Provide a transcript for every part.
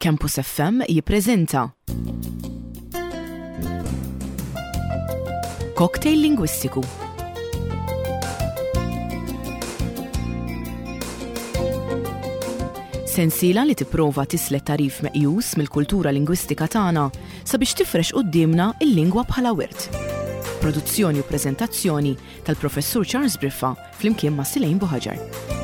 Campus FM jippreżenta Cocktail Lingwistiku. Sensiela li tipprova tislet tagħrif meqjus mill-kultura lingwistika tagħna sabiex tifrex quddiemna l-lingwa bħala wirt. Produzzjoni u preżentazzjoni tal-Professur Charles Briffa flimkien ma' Silejn Buħaġar.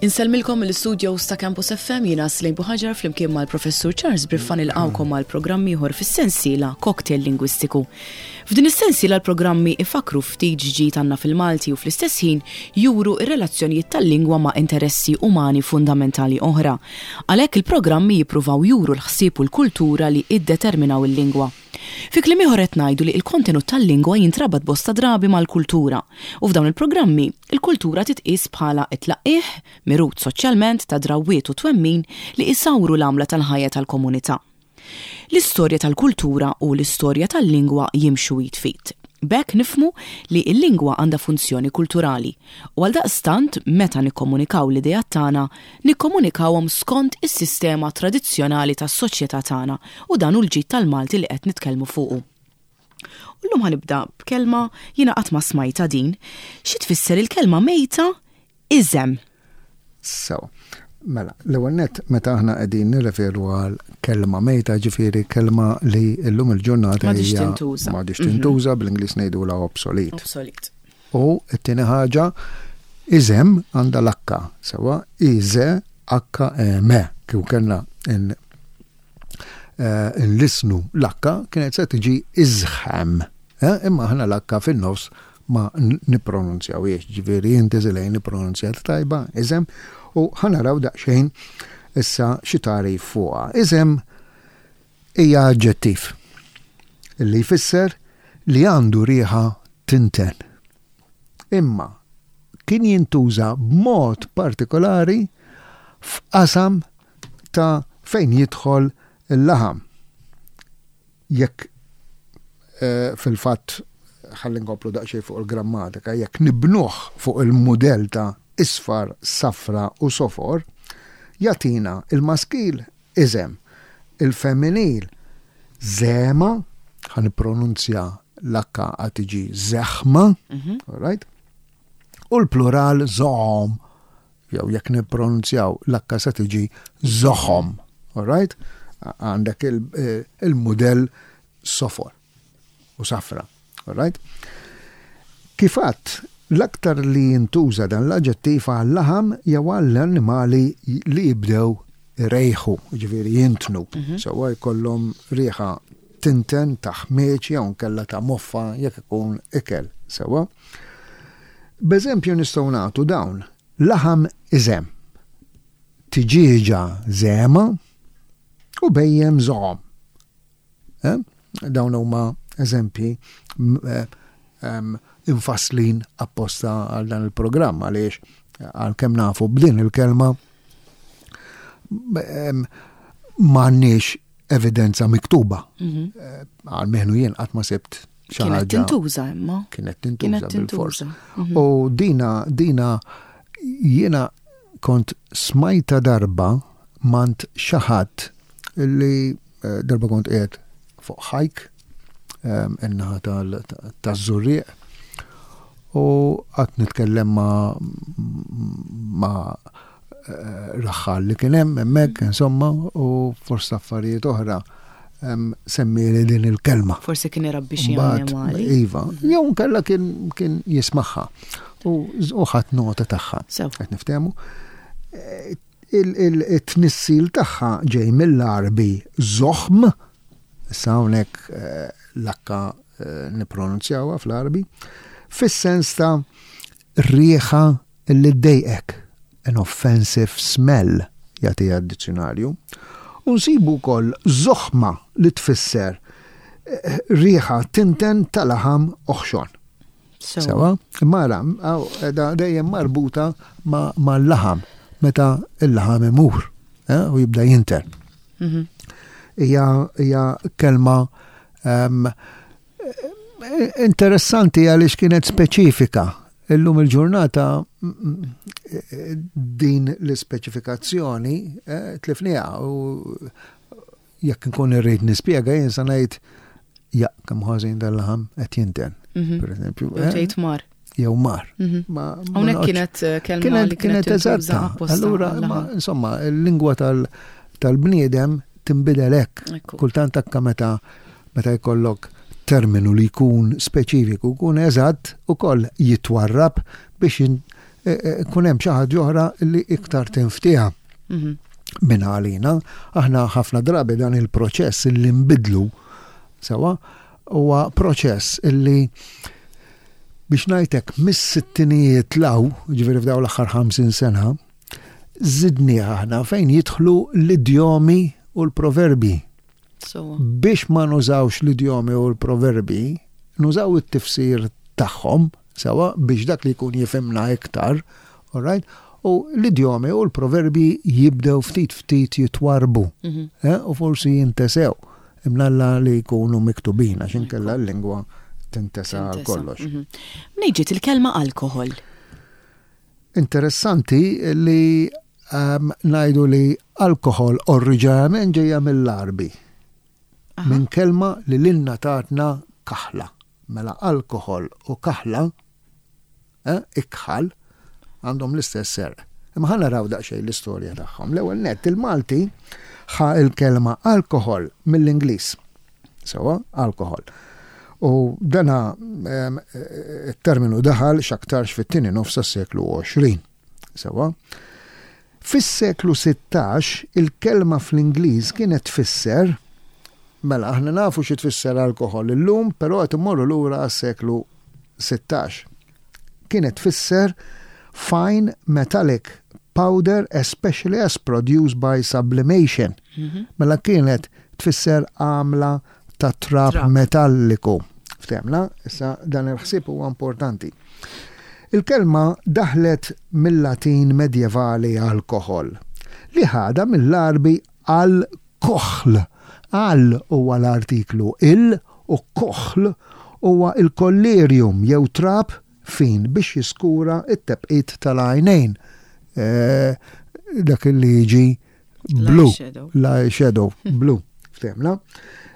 Insellmilkom mill-istudios ta' Campus FM jiena Slejn Buħaġar flimkien mal-Professur Charles Briffa nilqgħukom għal programm ieħor fis-sensiela Cocktail Lingwistiku. F'din is-sensiela l-programmi ifakkru ftit x'ġid għandna fil-Malti u fl-istess ħin juru r-relazzjonijiet tal-lingwa ma' interessi umani fundamentali oħra. Għalhekk il-programmi jippruvaw juru l-ħsieb u l-kultura li iddeterminaw il-lingwa. Fi kliem ieħor qed ngħidu li l-kontenut tal-lingwa jintrabat bosta drabi mal-kultura u f'dawn il-programmi l-kultura titqies bħala t-tlaqqigħ, mirut soċjalment, ta' drawwiet u twemmin li isawru l-għamla tal-ħajja tal-komunità. L-istorja tal-kultura u l-istorja tal-lingwa jimxu id f'id. B'hekk nifhmu li l-lingwa għandha funzjoni kulturali u għaldaqstant meta nikkomunikaw l-ideat tagħna, nikkomunikawhom skont is-sistema tradizzjonali tas-soċjetà tagħna u dan hu l-ġid tal-Malti li qed nitkellmu fuqu. U llum ħa nibda b'kelma jiena qatt ma smajtha din. Xi tfisser il-kelma mejta Iżem. Sewa. Mela, l-ewwel nett meta aħna qegħdin nirreferu għal kelma mejta, ġifieri kelma li llum il-ġurnata M'għadhiex tintuża. M'għadhiex tintuża, bl-Ingliż ngħidulha obsolete. Obsolete. U t-tieni ħaġa, iżem għandha l-akka, sewa, I-Z-H-E-M, kieku kellna nlissnu l-akka kienet se tiġi iżħem. Imma aħna l-akka fin-nofs ma nippronunzjawhiex, ġifieri inti Zilejn ippronunzjat tajba, iżem, u ħa naraw daqsxejn issa xi tagħrif fuqha. Iżem hija aġġettiv li jfisser li għandu riħa tinten. Imma kien jintuża b'mod partikolari f'qasam ta' fejn jidħol il-laħam. Jekk fil-fatt ħalli nkomplu daqsxejn fuq il-grammatika, jekk nibnuh fuq il-mudell ta' isfar, safra u sofor, jagħtina il-maskil iżem, il-femminil żema, ħa nippronunzja l-H għad tiġi żeħma, all right? U l-plural żohom, jew jekk nippronunzjaw l-H se tiġi żoħom, all right? Għandek il-mudell sofor u safra, all right? Kif għadt, l-aktar li jintuża dan l-aġġettiv għal-laħam jew għall-annimali li jibdew irejħu, ġifieri jintnu, sewwa jkollhom riħa tinten ta' ħmieġ jew inkella ta' moffa jekk ikun ikel, sewwa. B'eżempju nistgħu nagħtu dawn, laħam iżemm, tiġieġa żegħma u bhejjem żoghom. Eh? Dawn huma eżempji eh, infasslin apposta għal dan il-programm għaliex għalkemm nafu b'din il-kelma m'għandniex evidenza miktuba. Mhm. Eh, għalmenu jien qatt ma sibt xi Kienet tintuża imma. Kienet tintuża bil-fors. Mhm. U dina dina jiena kont smajta darba mant xi ħadd li eh, darba kont qiegħed fuq ħajk eh, in-naħa taż-Żurrieq u qatt nitkellem ma' ma' raħħal li kien hemm hemmhekk insomma u fost affarijiet oħra semmieli din il-kelma. Forsi kien irabbi xi annimali. Iva, jew nkella kien kien jismagħha u ħadd nota tagħha. Qed niftehmu. Il-tnissil tagħha ġej mill-Għarbi zoħm, issa hawnhekk eh, l-akka eh, nippronunzjawha fl-Għarbi, fis-sens ta' riħa Li ddejqek, an offensive smell, jagħtiha d-dizzjunarju. U nsibu wkoll zoħma li tfisser riħa tinten ta' laħam oħxon. Sewa? Imma ara, qiegħda dejjem marbuta mal-laħam, meta l-laħam imur eh, u jibda jinten. Mhm. Hija kelma Interessanti għaliex kienet speċifika. Illum il-ġurnata din l-ispeċifikazzjoni eh, tlifniha u jekk nkun irrid nispjega jien sa ngħid ja kemm ħażin dal-laħam qed jinten. Mhm. Per eżempju. Jew eh? tgħid mar. Jew mar. Mhm. Hawnhekk kienet eh, kelma li kienet eżatta. Allura, insomma, il-lingwa tal-bniedem tinbidel hekk. Kultant akka meta meta jkollok terminu li jkun speċifiku, jkun eżatt ukoll jitwarrab biex e, e, kun hemm xi ħaġa oħra li iktar tinftieha. Mhm. Minn għalina, aħna ħafna drabi dan il-proċess li nbidlu sewa huwa proċess illi biex ngħidlek mis-sittinijiet law, ġifieri f'dawn l-aħħar 50 sena, żidnieh aħna fejn jidħlu l-idjomi u l-proverbi. Biex ma nużawx l-idjomi u l-proverbi, nużaw it-tifsir tagħhom, sewa, biex dak li jkun jifhimna iktar, all right? U l-idjomi u l-proverbi jibdew ftit ftit jitwarbu mhm. eh, u forsi jintesew imnalla li jkunu miktubin għax inkella l-lingwa tintesa għal kollox. Mhm. Mnejn ġiet il-kelma alkohol? Interessanti li um, ngħidu li alkohol oriġinarjament ġejja mill-Għarbi. Minn kelma li lilna tatna kaħla. Mela alkohol u kaħla, eh, ikħal, għandhom l-istess serq. Imma ħa naraw daqsxejn l-istorja tagħhom. L-ewwel nett il-Malti ħa il-kelma alkohol mill-Ingliż. Sewa, alkohol. U dana it-terminu daħal x'aktarx fit-tieni nofs tas-seklu 20. Sewa. Fis-seklu 16 il-kelma fl-Ingliż kienet tfisser mela aħna nafu xi tfisser alkohol illum, però qed immorru lura għas-seklu 16. Kienet tfisser fine metallic powder especially as produced by sublimation. Mhm. Mela kienet tfisser għamla ta' trab metalliku. Ftemna, issa dan il-ħsieb huwa importanti. Il-kelma daħlet mil-Latin medjevali alkohol, li ħadha mill-Għarbi al-kohl. Al huwa l-artiklu il u kohl huwa l-kollirium jew trab fin biex jiskura t-tebqit tal-għajnejn. Eh, dak li jiġi blu, l-eyeshadow blu, ftemna,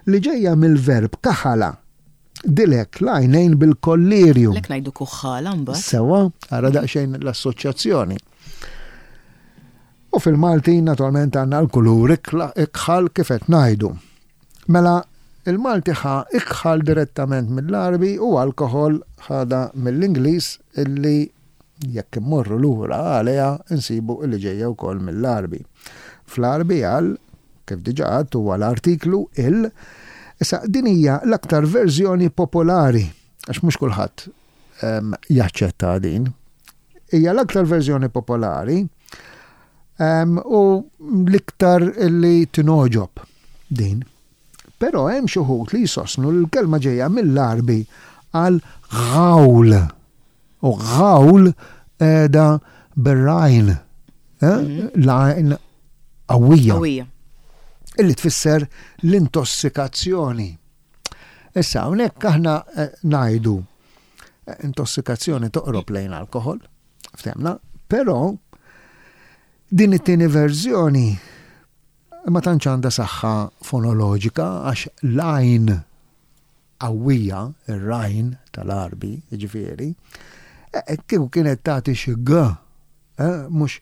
li ġejja mill-verb kaħala, dilek l-għajnejn bil-kollirju. Lek ngħidu kuħħala mbagħad. Sewa, ara daqsxejn l-assoċjazzjoni. U fil-Malti naturalment għandna l-kulur ikħal kif qed ngħidu. Mela il-Malti ħa ikħal direttament mill-Għarbi u alkoħol ħadha mill-Ingliż illi jekk immorru lura għaliha nsibu illi ġejja wkoll mill-Għarbi. Fl-Għarbi għal, kif diġà għedt, huwa l-artiklu il. Issa din hija l-aktar verżjoni popolari għax mhux kulħadd ehm, jaċċetta din. Hija l-aktar verżjoni popolari ehm, u l-iktar li tinogħġob din. Però hemm xi wħud li jsostnu li l-kelma ġejja mill-Għarbi għal ghawl. U ghawl qiegħda bir-rajn, eh? mhm. l-għajn qawwija. Illi tfisser l-intossikazzjoni. Issa, hawnhekk aħna eh, ngħidu eh, intossikazzjoni toqrob lejn alkohol, ftemna, però din it-tieni verżjoni ma tantx għandha saħħa fonoloġika għax l-għajn qawwija, ir-rajn tal-Għarbi, jiġifieri, eh, kieku kienet tagħti xi g, mhux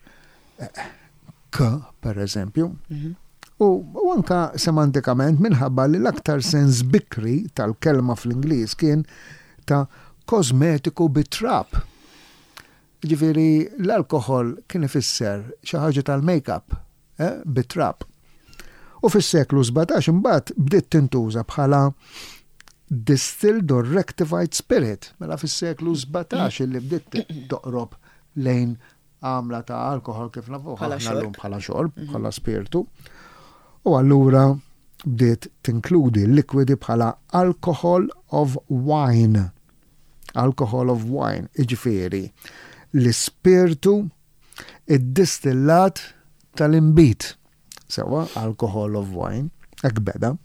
k, per eżempju. Mhm. U, u anka semantikament minħabba li l-aktar sens bikri tal-kelma fl-Ingliż kien ta' kosmetiku bit-trab. Ġifieri l-alkoħol kien ifisser xi ħaġa tal-make-up eh, bit-trab. U fis-seklu 17 imbagħad bdiet tintuża bħala distilled or rectified spirit. Mela fis-seklu 17 li bdiet toqrob lejn għamla ta' alkohol kif nafuh aħna llum bħala xorb, mhm. bħala spirtu. U allura bdiet tinkludi l-likwidi bħala alcohol of wine. Alcohol of wine, iġifieri l-ispirtu id-distillat tal-inbid. Sewa, alcohol of wine, hekk beda.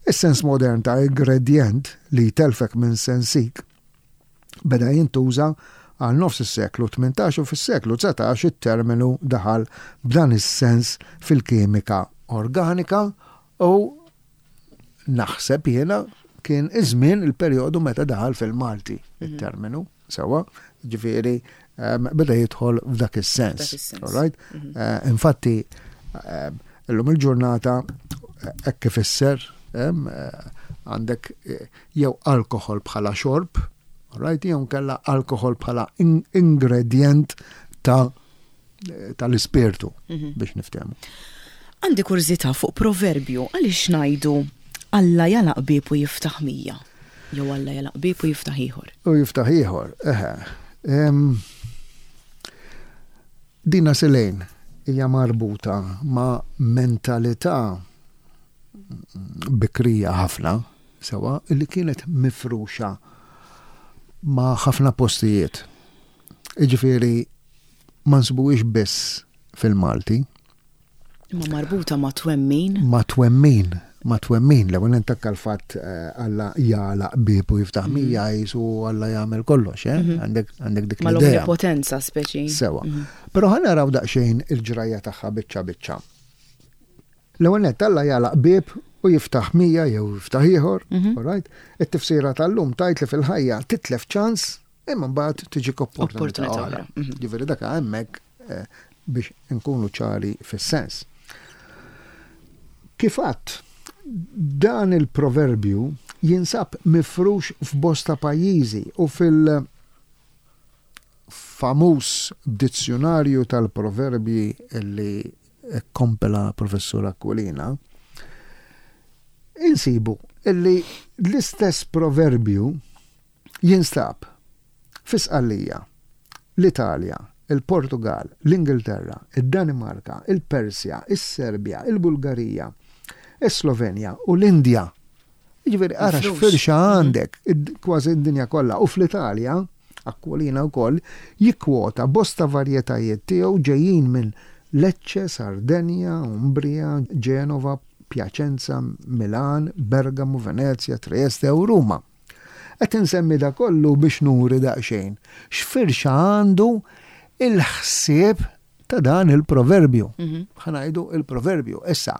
Is-sens modern ta' ingredjent li jtellfek minn sensik beda jintuża għal nofs is-seklu 18 u fis-seklu 19 it-terminu daħal b'dan is-sens fil-kimika organika u naħseb jiena kien iż-żmien il-perjodu meta daħal fil-Malti it-terminu. Sewwa, ġifieri ehm, beda jidħol f'dak is-sens. Right? Mhm. Eh, infatti, ehm, illum il-ġurnata eh, hekk ifisser ehm, eh, għandek jew alkohol bħala xorb, right? Jew kella alkohol bħala ingredient ta' tal-ispirtu mhm. biex niftehmu. Għandi kurżità fuq proverbju għaliex ngħidu Alla jalaq bieb u jiftaħ mija. Jew Alla jalaq bieb u jiftaħ ieħor. U jiftaħ ieħor, eħe. Dina Selejn hija marbuta ma' mentalità bikrija ħafna, sewa, li kienet mifruxa ma' ħafna postijiet. Jiġifieri ma nsibuhiex biss fil-Malti. Imma marbuta ma' twemmin. Ma' twemmin, ma' twemmin. L-ewwel intakka l-fatt eh, Alla jagħlaq bieb u jiftaħ mhm. mija jisu Alla jagħmel kollox, eh? Mhm. Għandek għandek dik l-idea. Mal-omnipotenza speċi. Sewa. Mhm. Però ħa naraw daqsxejn il-ġrajja tagħha biċċa biċċa. L-ewwel nett Alla jagħlaq bieb u jiftaħ mija jew jiftaħ ieħor, all right? It-tifsira tal-lum tgħid li fil-ħajja titlef ċans Imma mbagħad tiġik opportunità oħra. Mhm. Ġifieri dak hemmhekk eh, biex inkunu ċari fis-sens. Kif għadt, dan il-proverbju jinsab mifrux f'bosta pajjiżi u fil- famuż dizzjonarju tal-proverbji li kompela professur Aquilina, insibu illi l-istess proverbju Jinstab fi Sqallija, l-Italja, il-Portugall, l-Ingilterra, id-Danimarka, il-Persja, is-Serbja, il-Bulgarija, is-Slovenja u l-Indja. Jiġifieri ara x'firxa għandek, kważi d-dinja kollha. U fl-Italja, Aquilina wkoll jikkwota bosta varjetajiet tiegħu ġejjin minn Lecce, Sardenja, Umbria, Ġenova, Piacenza, Milan, Bergamo, Venezja, Trieste u Ruma. Qed insemmi da kollu biex nuri daqsxejn x'firxa għandu il-ħsieb ta' dan il-proverbju. Mhm. Ħa ngħidu il-proverbju. Issa,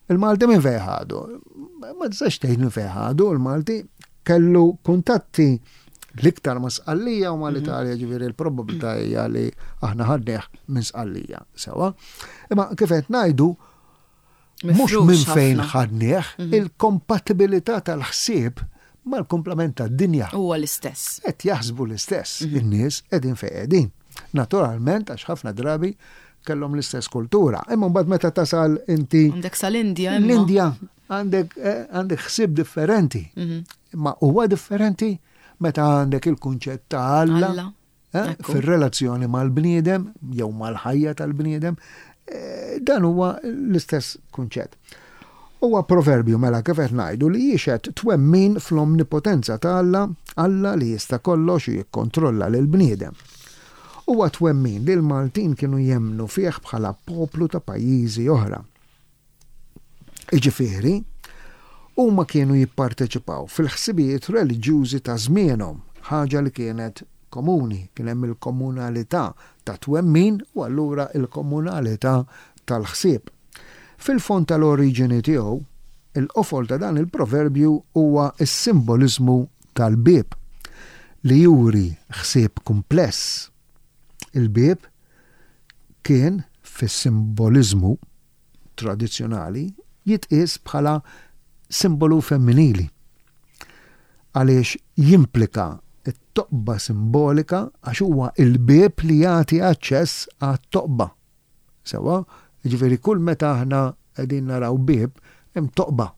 il-Malti minn fejn ħadu? Ma tistax tgħid minn fejn ħadu, il-Malti kellu kuntatti l-iktar ma' Sqallija u ma' mhm. l-Italja ġifieri l-probabilità hija li aħna ħadnieh minn Sqallija. Sewa. Imma kif qed ngħidu Mhux minn fejn ħadnieh, mhm. il-kompatibilità tal-ħsieb mal-kumplament tad-dinja. Huwa l-istess. Qed jaħsbu l-istess, mhm. in-nies qegħdin fejn qegħdin. Naturalment għax ħafna drabi kellhom l-istess kultura. Imma mbagħad meta tasal inti. Għandek sal-Indja. L-Indja għandek eh, għandek ħsieb differenti. Mhm. Imma huwa differenti meta għandek il-kunċett ta' Alla. Eh, fir-relazzjoni mal-bniedem jew mal-ħajja tal-bniedem, eh, dan huwa l-istess kunċett. Huwa proverbju mela kif qed ngħidu li jixhed twemmin fl-omnipotenza ta' Alla, Alla li jista' kollox u jikkontrolla lil bniedem. Huwa twemmin li l-Maltin kienu jemmnu fih bħala poplu ta' pajjiżi oħra. Jiġifieri, huma kienu jipparteċipaw fil-ħsibijiet reliġjużi ta' żmienhom, ħaġa li kienet komuni, kien hemm il-komunalità ta' twemmin u allura l-komunalità tal-ħsieb. Fil-fond tal-oriġini tiegħu, il-qofol ta' dan il-proverbju huwa s-simboliżmu tal-bieb, li juri ħsieb kumpless. Il-bieb kien, fis-simboliżmu, tradizzjonali jitqies bħala simbolu femminili għaliex jimplika t-toqba simbolika għax huwa l-bieb li jagħti aċċess għat-toqba. Sewwa, jiġifieri kull meta aħna qegħdin naraw bieb hemm toqba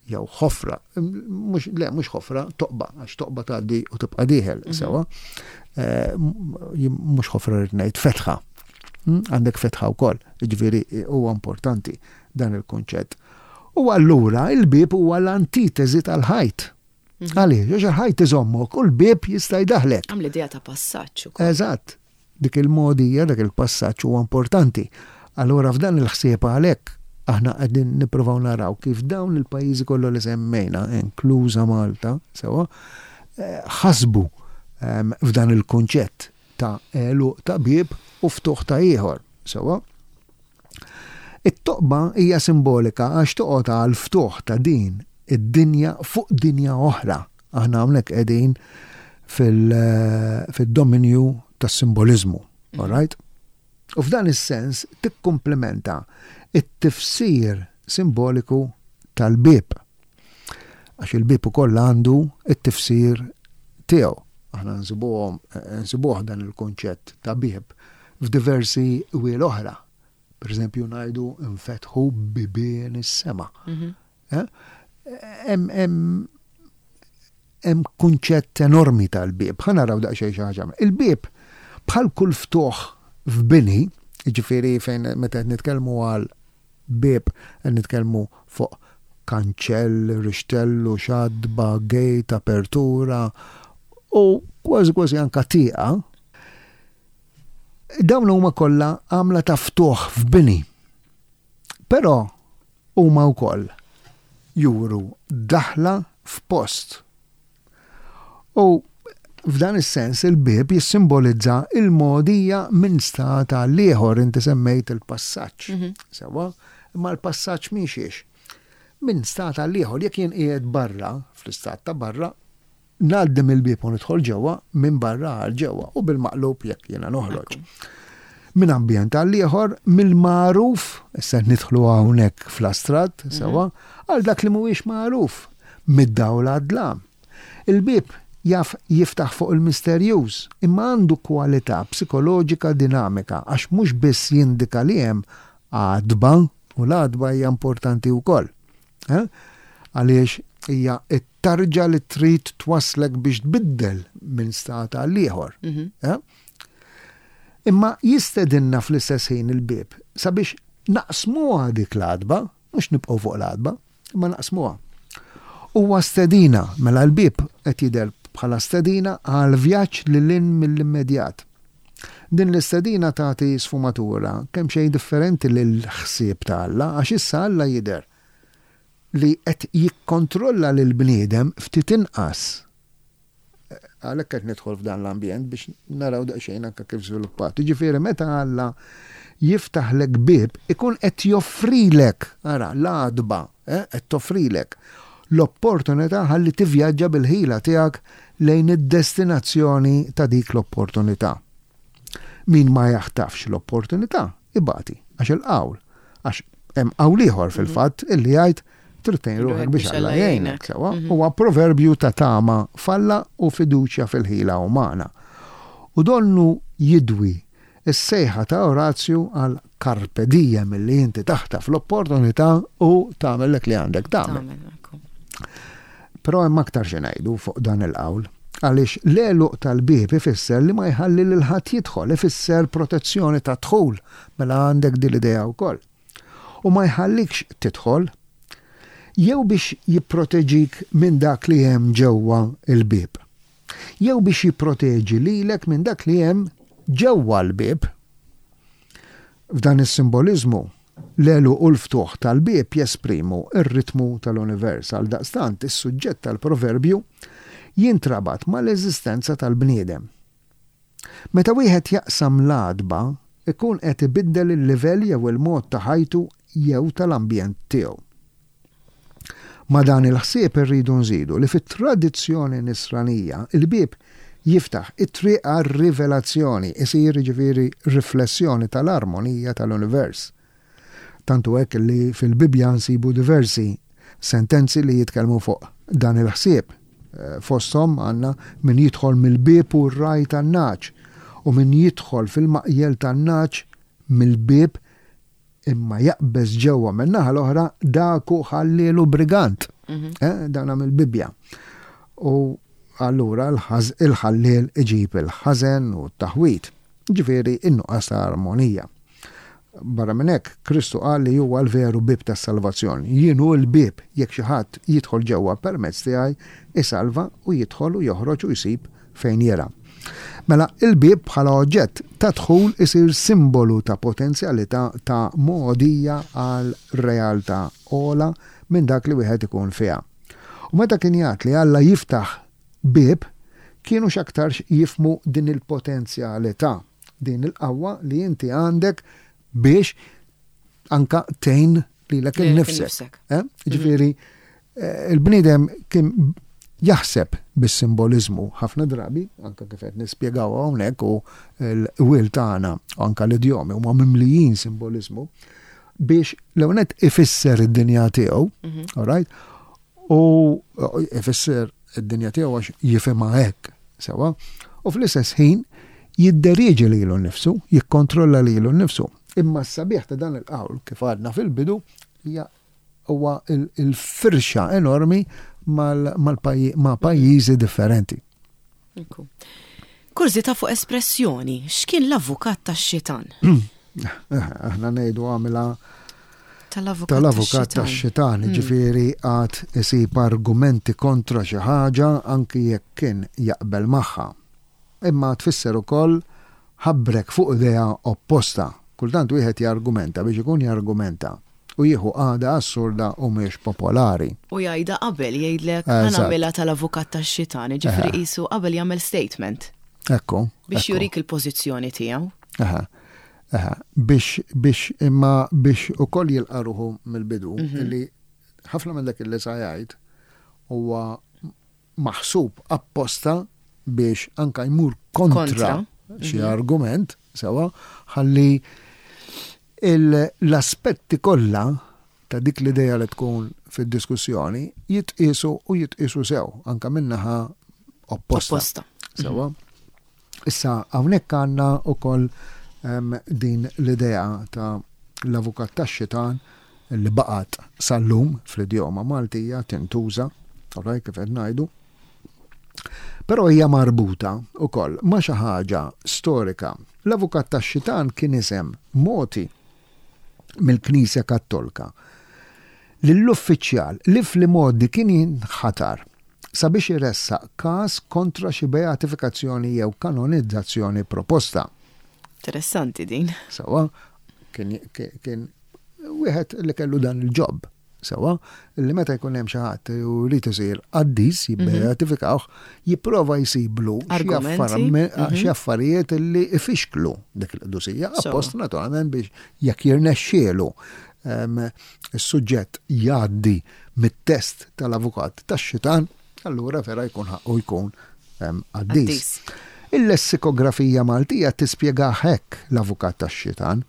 jew ħofra, mhux le mhux ħofra, toqba, għax toqba tgħaddi u tibqa' dieħel, mhm. sewwa. Eh, mhux ħofra rrid ngħid fetħa. Hmm? Għandek fetħa wkoll, jiġifieri eh, huwa importanti dan il-kunċett. U allura il-bieb huwa l-antiteżi tal-ħajt. Mhm. Għaliex, għax il-ħajt iżommok u l-bieb jista' jdaħlek. Għam l-idea ta' passaġġ ukoll. Eżatt. Dik il-mogħdija, dak il-passaġġ huwa importanti. Allura f'dan il-ħsieb għalhekk. Aħna qegħdin nippruvaw naraw kif dawn il-pajjiżi kollha li semmejna, inkluża Malta, sewwa, ħasbu f'dan il-kunċett ta' għeluq ta' bieb u ftuħ ta' ieħor, sewwa. It-toqba hija simbolika għax toqgħod għall-ftuħ ta' din id-dinja fuq dinja oħra. Aħna hawnhekk qegħdin fil-dominju tas-simboliżmu, all right? U f'dan is-sens tikkumplimenta t-tifsir simboliku tal-bieb. Għax il-bieb ukoll għandu t-tifsir tiegħu. Aħna nsibuhom nsibuh dan il-kunċett ta' bieb f'diversi qwiel oħra. Per eżempju ngħidu nfetħu bibien is-sema. Mhm. Eh? Hemm kunċett enormi tal-bieb. Ħa naraw daqsxejn xi ħaġa. Il-bieb bħal kull ftuħ f'bini, jiġifieri fejn meta qed nitkellmu għal bieb qed nitkellmu fuq kanċell, rixtellu, xadba, gate, apertura u kważi kważi anka tieqa. Dawn huma kollha għamla ta' ftuħ f'bini. Però huma wkoll juru daħla f'post. U f'dan is-sens il-bieb jissimbolizza il-mogħdija minn stat għal ieħor, inti semmejt il-passaġġ. Mhm. Sewwa, imma l-passaġġ minn xiex? Minn stat għal ieħor, jekk jien qiegħed barra, fl-istat ta' barra, Ngħaddi mill-bieb u nidħol ġewwa, minn barra għal ġewwa, u bil-maqlub jekk jiena noħroġ. Minn ambjent għal ieħor, mill-magħruf, issa qed nidħlu hawnhekk fl-astratt, mhm. sewwa, għal dak li mhuwiex magħruf, mid-dawl għad-dlam. Il-bieb jaf jiftaħ fuq il-misterjuż, imma għandu kwalità psikoloġika dinamika għax mhux biss jindika li hemm għatba, u l-għatba hija importanti wkoll. Eh? Għaliex hija t-tarġa li trid twasslek biex tbiddel minn stat għal ieħor. Mhm. Eh? Imma jistedinna fl-istess ħin il-bieb sabiex naqsmuha dik l-għatba, mhux nibqgħu fuq l-għatba, imma naqsmuha. Huwa stedina, mela l-bieb qed jidher bħala stedina għal vjaġġ lil hinn mill-immedjat. Din l-istedina tagħti sfumatura kemxejn differenti lill-ħsieb ta' Alla għax issa Alla jidher li qed jikkontrolla lill-bniedem ftit inqas. Għalhekk qed nidħol f'dan l-ambjent biex naraw daqsxejn anke kif żviluppat. Jiġifieri meta Alla jiftaħlek bieb ikun qed joffrilek, ara, l-għatba, eh, qed toffrilek l-opportunità ħalli tivvjaġġa bil-ħila tiegħek lejn id-destinazzjoni ta' dik l-opportunità. Min ma jaħtafx l-opportunità ibati, għax il-qawl, għax hemm qawl ieħor fil-fatt illi jgħid trid tgħin ruħek biex Alla jgħinek, sewwa, mhm. huwa proverbju ta' tama f'Alla u fiduċja fil-ħila umana. U donnu jidwi Is-sejħa ta' Orazju għal carpe diem li inti taħtaf l-opportunità u tagħmel dak li għandek tagħmel. Però hemm aktar xi ngħidu fuq dan il-qawl. Għaliex l-għeluq tal-bieb ifisser li ma jħalli lil ħadd jidħol, ifisser protezzjoni tad-dħul, mela għandek din l-idea wkoll. U ma jħallikx tidħol jew biex jipproteġik minn dak li hemm ġewwa l-bieb. Jew biex jipproteġi lilek minn dak li hemm ġewwa l-bieb. F'dan is-simboliżmu, l-għeluq u l-ftuħ tal-bieb jesprimu r-ritmu tal-univers. Għaldaqstant, is-suġġett tal-proverbju jintrabat mal-eżistenza tal-bniedem. Meta wieħed jaqsam l-għatba, ikun qed ibiddel il-livell jew il-mod ta' ħajtu jew tal-ambjent tiegħu. Ma' dan il-ħsieb irridu nżidu li fit-tradizzjoni Nisranija l-bieb jiftaħ it-triq għar-rivelazzjoni, isir jiġifieri riflessjoni tal-armonija tal-univers. Tant hu hekk li fil-Bibbja nsibu diversi sentenzi li jitkellmu fuq dan il-ħsieb. Fosthom għandna min jidħol mill-bieb hu r-ragħaj tan-nagħaġ u min jidħol fil-maqjel tan-nagħaġ mill-bieb Imma jaqbeż ġewwa min-naħa l-oħra dak hu ħalliel u brigant. Mhm. Eh, dan mill-Bibbja. U allura il-ħalliel iġib il-ħażen u t-taħwid. Ġifieri in-nuqqas ta' armonija. Barra minn hekk, Kristu qal li huwa l-veru bieb tas-salvazzjoni. Jien hu l-bieb, jekk xi ħadd jidħol ġewwa permezz tiegħi, isalva u jidħol u joħroġ u jsib fejn jirgħa. Mela, il-bieb bħala oġġett ta' dħul isir simbolu ta' potenzjalità ta' mogħdija għal realtà ogħla minn dak li wieħed ikun fiha. U meta kien jgħad li Alla jiftaħ bieb, kienu x'aktarx jifhmu din il-potenzjalità, din il-qawwa li inti għandek biex anka tgħin lilek innifsek. Eh? Ġifieri eh, il-bniedem kien jaħseb bis-simboliżmu ħafna drabi, anka kif qed nispjegaw hawnhekk u l-wil tagħna anka l-idjomi huma mimlijin simboliżmu biex l-ewwel ifisser id-dinja tiegħu, mhm. all right? U ifisser id-dinja tiegħu għax jifhimha hekk, sewwa, u fl-istess ħin jidderieġi lilu nnifsu, jikkontrolla lilu nnifsu. Imma s-sabiħ ta' dan il-qawl, kif għadna fil-bidu, hija huwa il-firxa enormi ma' pajjiżi differenti. Kurżità fuq espressjoni, x'kien l-avukat tax-xitan? Aħna ngħidu għamilha tal-avukat tax-xitan, hmm. ġifieri għad isib argumenti kontra xi ħaġa anki jekk kien jaqbel magħha. Imma tfisser ukoll ħabbrek fuq idea opposta. Kultant wieħed jargumenta biex ikun jargumenta u jieħu qagħda assurda u mhix popolari. U jgħidha qabel, jgħidlek ħa nagħmilha tal-avukat tax-xitan, jiġifieri qisu qabel jagħmel statement. Ekku. Biex jurik il-pożizzjoni tiegħu. Aha. Aha. Biex, biex, imma biex ukoll jilqa' ruħu mill-bidu, mhm. li ħafna minn dak li sa jgħid huwa maħsub apposta biex anka jmur kontra xi mhm. argument, sewa, ħalli l-aspetti kollha ta' dik l-idea li tkun fid-diskussjoni jitqisu u jitqisu sew anka minnaħa opposta. Sewa. Mhm. Issa hawnhekk għandna wkoll ehm, din l-idea ta' l-avukat tax-xitan li baqgħet sal-lum fl-idjoma Maltija tintuża, alright kif qed ngħidu. Però hija marbuta wkoll ma' xi ħaġa storika. L-avukat tax-xitan kien isem mogħti mill-Knisja Kattolka lill-uffiċjal li fl-imgħoddi kien jinħatar sabiex iressaq każ kontra xi beatifikazzjoni jew kanonizzazzjoni proposta. Interessanti din. Sewwa, kien, kien wieħed li kellu dan il-ġob. Sewwa, li meta jkun hemm xi ħadd u jrid isir qaddis mhm. jibbeatifikawh, jipprova jsiblu xi mhm. affarijiet li ifixklu dik il-qdusija, appost naturalment biex jekk jirnexxielu is-suġġett jgħaddi mit-test tal-avukat tax-xitan, allura vera jkun ħaqqu jkun qaddis. Il-lessikografija Maltija tispjegah hekk l-avukat tax-xitan,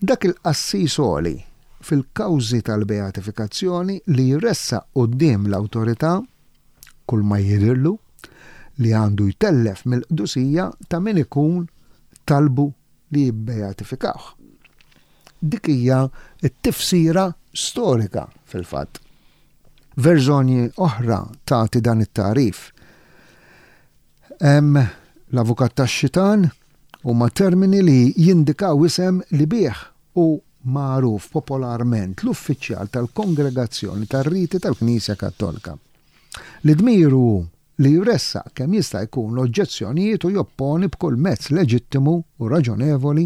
Dak il-qassis għoli fil-kawżi tal-beatifikazzjoni li jressaq quddiem l-awtorità kull ma jidhirlu li għandu jtellef mill-qdusija ta' min ikun talbu li jibbeatifikawh. Dik hija t-tifsira storika fil-fatt. Verżjoni oħra tagħti dan it-tagħrif. Hemm l-avukat tax-xitan huma termini li jindikaw isem li bih hu magħruf popolarment l-uffiċjal tal-Kongregazzjoni tar-Riti tal-Knisja Kattolika, li dmiru hu li jressaq kemm jista' jkun oġġezzjonijiet u jopponi b'kull mezz leġittimu u raġonevoli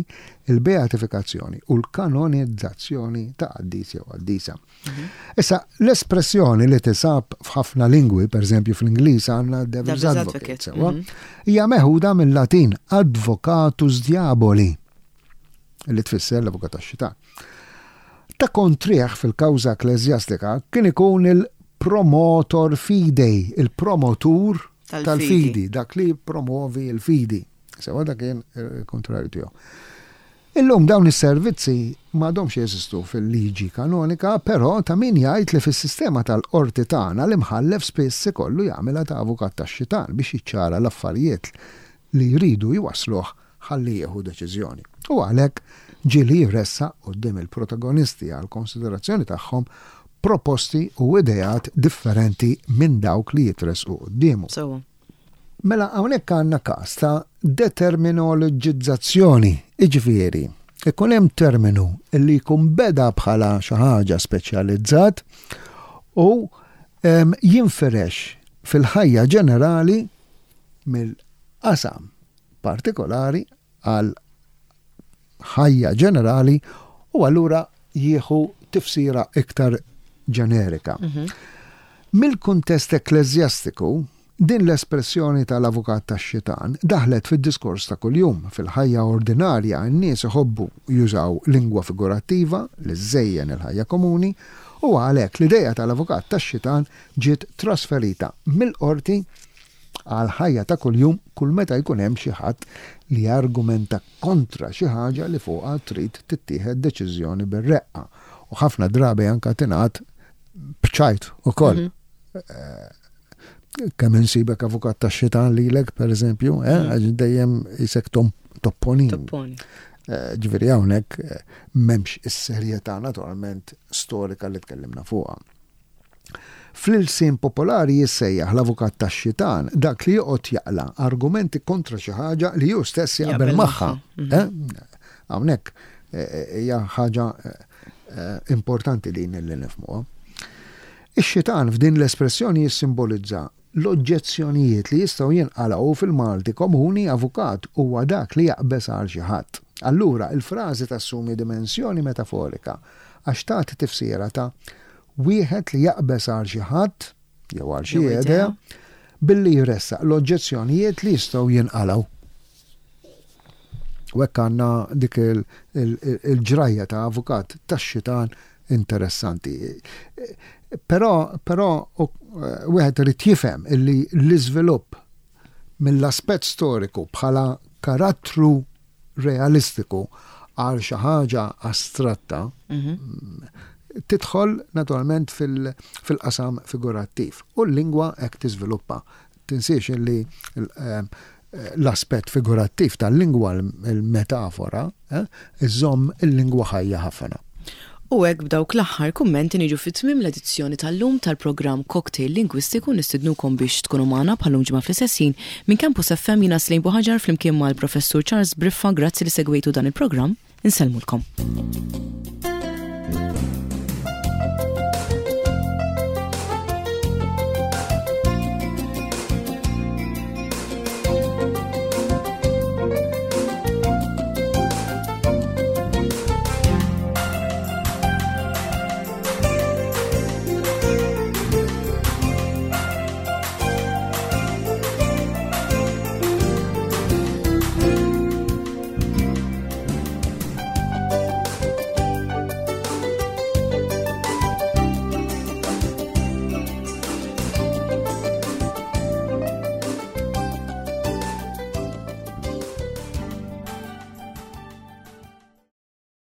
l-beatifikazzjoni u l-kanonizzazzjoni ta' qaddis jew qaddisa. Mhm. Issa, l-espressjoni li tisab f'ħafna lingwi, per eżempju fl-Ingliż għandna devil's advocate, sewa, mhm. hija meħuda mill-Latin advocatus diaboli, li tfisser l-avukat tax-xitan. Ta' kontrih fil-kawża ekkleżjastika kien ikun il-promotor fidei, il-promotur tal-fidi, dak li promovi l-fidi. Sewa dak kien il-kontrarju tiegħu. Illum dawn is-servizzi m'għadhomx jeżistu fil-liġi kanonika, però ta' min jgħid li fis-sistema tal-qorti tagħna l-imħallef spiss ikollu jagħmilha ta' avukat tax-xitan biex jiċċara l-affarijiet li jridu jwassluh ħalli jieħu deċiżjoni. U għalhekk ġieli jressaq quddiem il-protagonisti għall-konsiderazzjoni tagħhom proposti u ideat differenti minn dawk li jitressqu quddiemu. Sewwa. Mela hawnhekk għandna każ ta' determinoloġizzazzjoni, jiġifieri ikun hemm terminu li jkun beda bħala xi ħaġa speċjalizzat u jinfirex fil-ħajja ġenerali mill-qasam. partikolari għal ħajja ġenerali u allura jieħu tifsira iktar ġenerika. Mill-kuntest ekkleżjastiku, din l-espressjoni tal-avukat tax-xitan daħlet fid-diskors ta' kuljum. Fil-ħajja ordinarja n-nies iħobbu jużaw lingwa figurattiva li żżejjen il-ħajja komuni u għalhekk l-idea tal-avukat tax-xitan ġiet trasferita mill-qorti għall-ħajja ta' kuljum kull meta jkun hemm xi ħadd li jargumenta kontra xi ħaġa li fuqha trid tittieħed deċiżjoni bir-reqqa. U ħafna drabi anke tingħad b'ċajt ukoll. Kemm insibek avukat tax-xitan lilek, pereżempju, eh, mhm. għax dejjem isek topponi. Topponi. Eh, ġifieri hawnhekk eh, m'hemmx is-serjetà naturalment storika li tkellimna fuqha. Fl-ilsien popolari jissejjaħ l-avukat tax-xitan dak li joqgħod jaqla' argumenti kontra xi ħaġa li hu stess jaqbel magħha. Mhm. Eh? Hawnhekk hija ħaġa importanti din li nifhmuha. Ix-xitan f'din l-espressjoni jissimbolizza l-oġġezzjonijiet li jistgħu jinqalgħu fil-Malti komuni avukat huwa dak li jaqbeż għal xi ħadd. Allura, il-frażi tassumi dimensjoni metaforika għax tagħti tifsira ta' wieħed li jaqbeż għal xi ħadd jew għal xi idea billi jressaq l-oġġezzjonijiet li jistgħu jinqalgħu. U hekk għandna dik il-ġrajja ta' avukat tax-xitan interessanti. Però, però wieħed irid jifhem illi l-iżvilupp mill-aspett storiku bħala karattru realistiku għal xi ħaġa astratta mhm. tidħol naturalment fil-qasam figurattiv u l-lingwa hekk tiżviluppa. Tinsiex illi eh, l-aspett figurattiv tal-lingwa il-metafora eh, iżomm il-lingwa ħajja ħafna. U hekk b'dawk l-aħħar kummenti niġu fi tmiem l-edizzjoni tal-lum tal-programm Cocktail Lingwistiku nistidnukom biex tkunu magħna bħal-lum ġimgħa fl-istess ħin minn Campus FM jiena Slejn Buħaġar flimkien mal-Professur Charles Briffa grazzi li segwejtu dan il-programm insellmulkom.